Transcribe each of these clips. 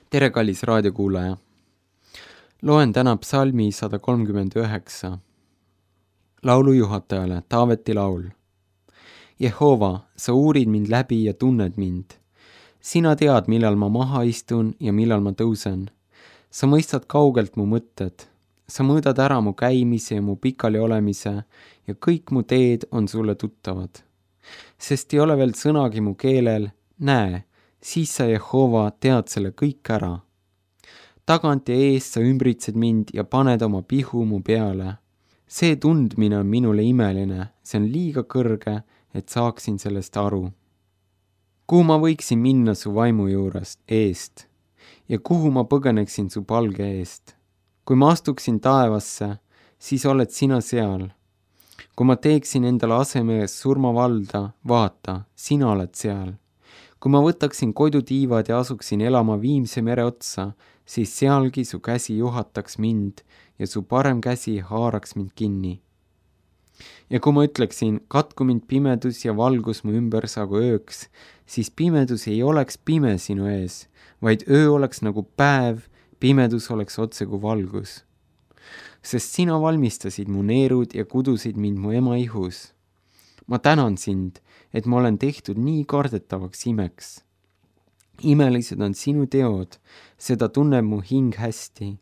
Tere, kallis raadiokuulaja! Loen täna psalmi 139. Laulu juhatajale, Taaveti laul. Jehova, sa uurid mind läbi ja tunned mind. Sina tead, millal ma maha istun ja millal ma tõusen. Sa mõistad kaugelt mu mõtted. Sa mõõdad ära mu käimise ja mu pikali olemise ja kõik mu teed on sulle tuttavad. Sest ei ole veel sõnagi mu keelel, näe, siis sa, Jehova, tead selle kõik ära. Tagant ja eest sa ümbritsed mind ja paned oma pihu mu peale. See tundmine on minule imeline, see on liiga kõrge, et saaksin sellest aru. Kuhu ma võiksin minna su vaimu juurest eest ja kuhu ma põgeneksin su palge eest? Kui ma astuksin taevasse, siis oled sina seal. Kui ma teeksin endale aseme surmavalda, vaata, sina oled seal. Kui ma võtaksin kodutiivad ja asuksin elama Viimse mere otsa, siis sealgi su käsi juhataks mind ja su parem käsi haaraks mind kinni. Ja kui ma ütleksin, katku mind pimedus ja valgus mu ümber saagu ööks, siis pimedus ei oleks pime sinu ees, vaid öö oleks nagu päev, pimedus oleks otse kui valgus. Sest sina valmistasid mu neerud ja kudusid mind mu ema ihus. Ma tänan sind, et ma olen tehtud nii kardetavaks imeks. Imelised on sinu teod, seda tunneb mu hing hästi.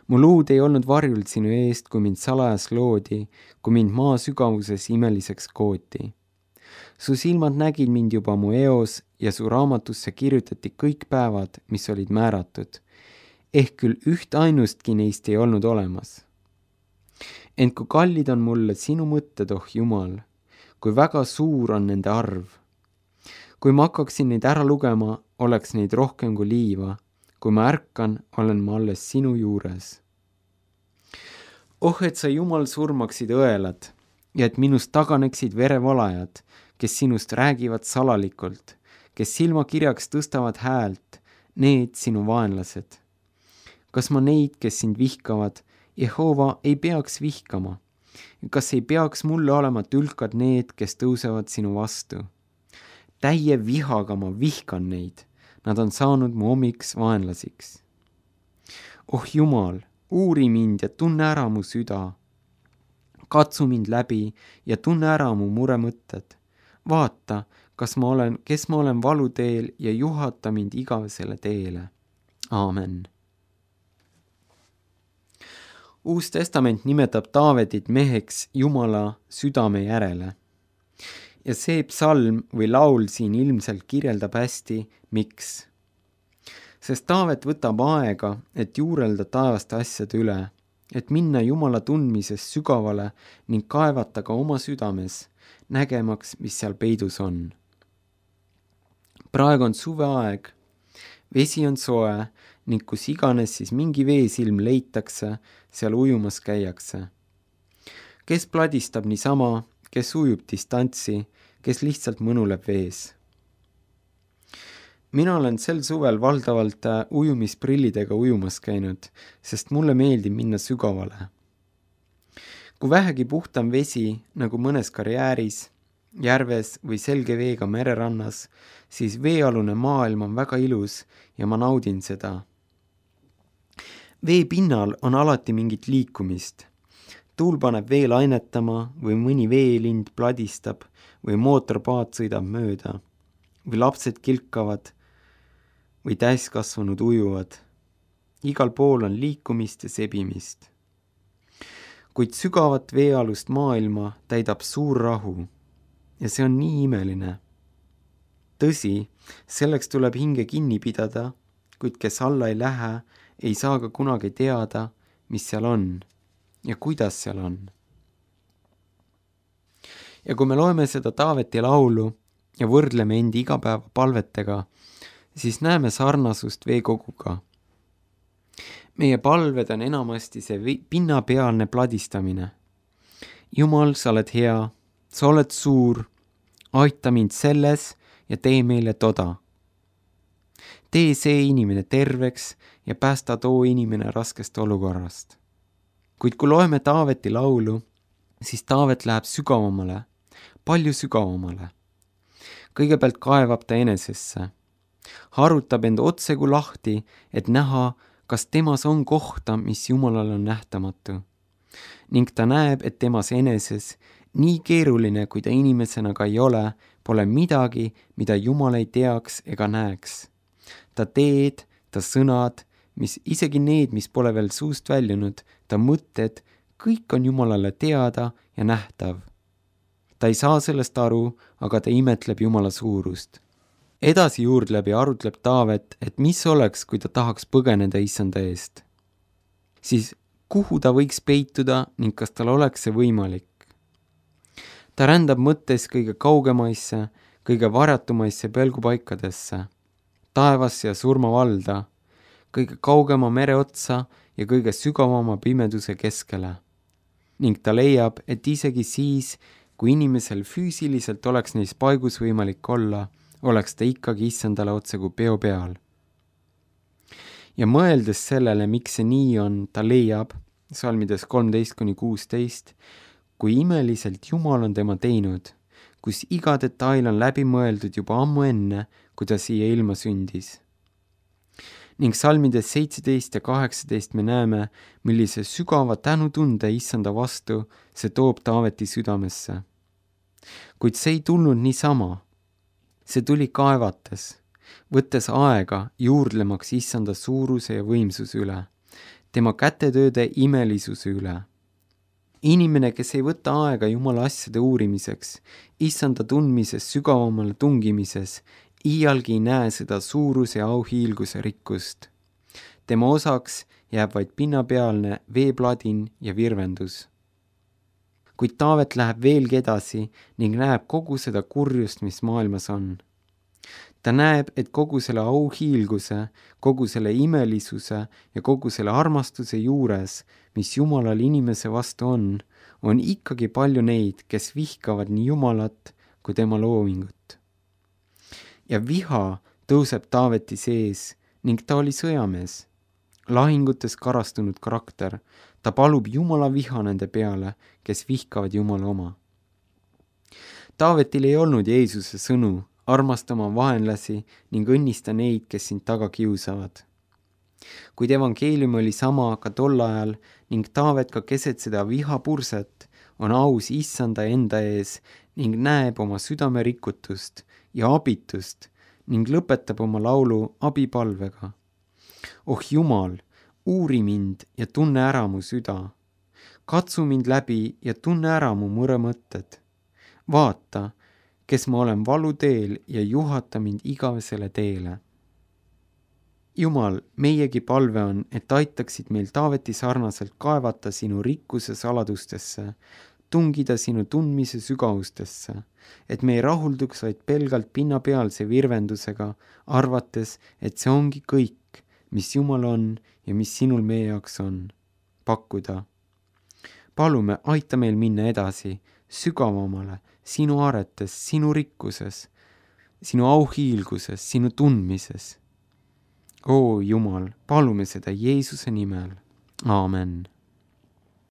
Mu luud ei olnud varjul sinu eest, kui mind salajas loodi, kui mind maa sügavuses imeliseks kooti. Su silmad nägid mind juba mu eos ja su raamatusse kirjutati kõik päevad, mis olid määratud. Ehk küll üht ainustki neist ei olnud olemas. Ent kui kallid on mulle sinu mõtted, oh Jumal, kui väga suur on nende arv. Kui ma hakkaksin neid ära lugema, oleks neid rohkem kui liiva. Kui ma ärkan, olen ma alles sinu juures. Oh, et sa, Jumal, surmaksid õelad ja et minust taganeksid verevalajad, kes sinust räägivad salalikult, kes silmakirjaks tõstavad häält, need sinu vaenlased. Kas ma neid, kes sind vihkavad, Jehova ei peaks vihkama? Kas ei peaks mulle olema tülkad need, kes tõusevad sinu vastu? Täie vihaga ma vihkan neid. Nad on saanud mu omiks vaenlasiks. Oh Jumal, uuri mind ja tunne ära mu süda. Katsu mind läbi ja tunne ära mu muremõtted. Vaata, kes ma olen valuteel ja juhata mind igavesele teele. Aamen. Uus testament nimetab Taavetit meheks Jumala südame järele. Ja see psalm või laul siin ilmselt kirjeldab hästi, miks. Sest Taavet võtab aega, et juurelda taevaste asjade üle, et minna Jumala tundmises sügavale ning kaevata ka oma südames, nägemaks, mis seal peidus on. Praegu on suveaeg, vesi on soe ning kus iganes siis mingi veesilm leitakse, seal ujumas käiakse. Kes pladistab niisama, kes ujub distantsi, kes lihtsalt mõnuleb vees. Mina olen sel suvel valdavalt ujumisprillidega ujumas käinud, sest mulle meeldib minna sügavale. Kui vähegi puhtam vesi, nagu mõnes karjääris, järves või selge veega mererannas, siis veealune maailm on väga ilus ja ma naudin seda. Vee pinnal on alati mingit liikumist. Tuul paneb vee lainetama või mõni veelind pladistab või mootorpaat sõidab mööda või lapsed kilkavad või täiskasvanud ujuvad. Igal pool on liikumist ja sebimist. Kuid sügavat veealust maailma täidab suur rahu ja see on nii imeline. Tõsi, selleks tuleb hinge kinni pidada, kuid kes alla ei lähe, ei saa ka kunagi teada, mis seal on ja kuidas seal on. Ja kui me loeme seda Taaveti laulu ja võrdleme endi igapäeva palvetega, siis näeme sarnasust veekoguga. Meie palved on enamasti see pinnapealne pladistamine. Jumal, sa oled hea, sa oled suur, aita mind selles ja tee meile toda. Tee see inimene terveks ja päästa too inimene raskest olukorrast. Kuid kui loeme Taaveti laulu, siis Taavet läheb sügavamale, palju sügavamale. Kõigepealt kaevab ta enesesse. harutab end otsegu lahti, et näha, kas temas on kohta, mis Jumalal on nähtamatu. Ning ta näeb, et temas eneses, nii keeruline, kui ta inimesena ka ei ole, pole midagi, mida Jumal ei teaks ega näeks. Ta teed, ta sõnad, mis isegi need, mis pole veel suust väljunud, ta mõtted, kõik on Jumalale teada ja nähtav. Ta ei saa sellest aru, aga ta imetleb Jumala suurust. Edasi juurdleb ja arutleb Taavet, et mis oleks, kui ta tahaks põgeneda Issanda eest. Siis kuhu ta võiks peituda ning kas tal oleks see võimalik? Ta rändab mõttes kõige kaugemaisse, kõige varjatumaisse pelgupaikadesse, taevasse ja surmavalda, kõige kaugema mere otsa ja kõige sügavama pimeduse keskele. Ning ta leiab, et isegi siis, kui inimesel füüsiliselt oleks neis paigus võimalik olla, oleks ta ikkagi Issandale otsekui peo peal. Ja mõeldes sellele, miks see nii on, ta leiab, salmides 13-16, kui imeliselt Jumal on tema teinud, kus iga detail on läbi mõeldud juba ammu enne, kui ta siia ilma sündis. Ning salmides 17 ja 18 me näeme, millise sügava tänutunde Issanda vastu see toob Taaveti südamesse. Kuid see ei tulnud niisama. See tuli kaevates, võttes aega juurdlemaks Issanda suuruse ja võimsuse üle, tema kätetööde imelisuse üle. Inimene, kes ei võta aega Jumala asjade uurimiseks, Issanda tundmises sügavamale tungimises, iialgi ei näe seda suuruse ja auhiilguse rikkust. Tema osaks jääb vaid pinnapealne veepladin ja virvendus. Kuid Taavet läheb veelgi edasi ning näeb kogu seda kurjust, mis maailmas on. Ta näeb, et kogu selle auhiilguse, kogu selle imelisuse ja kogu selle armastuse juures, mis Jumalal inimese vastu on ikkagi palju neid, kes vihkavad nii Jumalat kui tema loomingut. Ja viha tõuseb Taaveti sees ning ta oli sõjamees, lahingutes karastunud karakter. Ta palub Jumala viha nende peale, kes vihkavad Jumala oma. Taavetil ei olnud Jeesuse sõnu, armasta oma vaenlasi ning õnnista neid, kes sind taga kiusavad. Kuid evangeelium oli sama ka tol ajal ning Taavet ka keset seda vihapurset on aus Issanda enda ees ning näeb oma südame rikutust ja abitust ning lõpetab oma laulu abipalvega. Oh Jumal, uuri mind ja tunne ära mu süda. Katsu mind läbi ja tunne ära mu mõremõtted. Vaata, kes ma olen valuteel ja juhata mind igavesele teele. Jumal, meiegi palve on, et aitaksid meil Taaveti sarnaselt kaevata sinu rikkuse saladustesse, tungida sinu tundmise sügavustesse, et me ei rahulduks vaid pelgalt pinnapealse virvendusega, arvates, et see ongi kõik, mis Jumal on ja mis sinul meie jaoks on pakkuda. Palume, aita meil minna edasi, sügavamale, sinu aretes, sinu rikkuses, sinu auhiilguses, sinu tundmises. Oo Jumal, palume seda Jeesuse nimel. Aamen.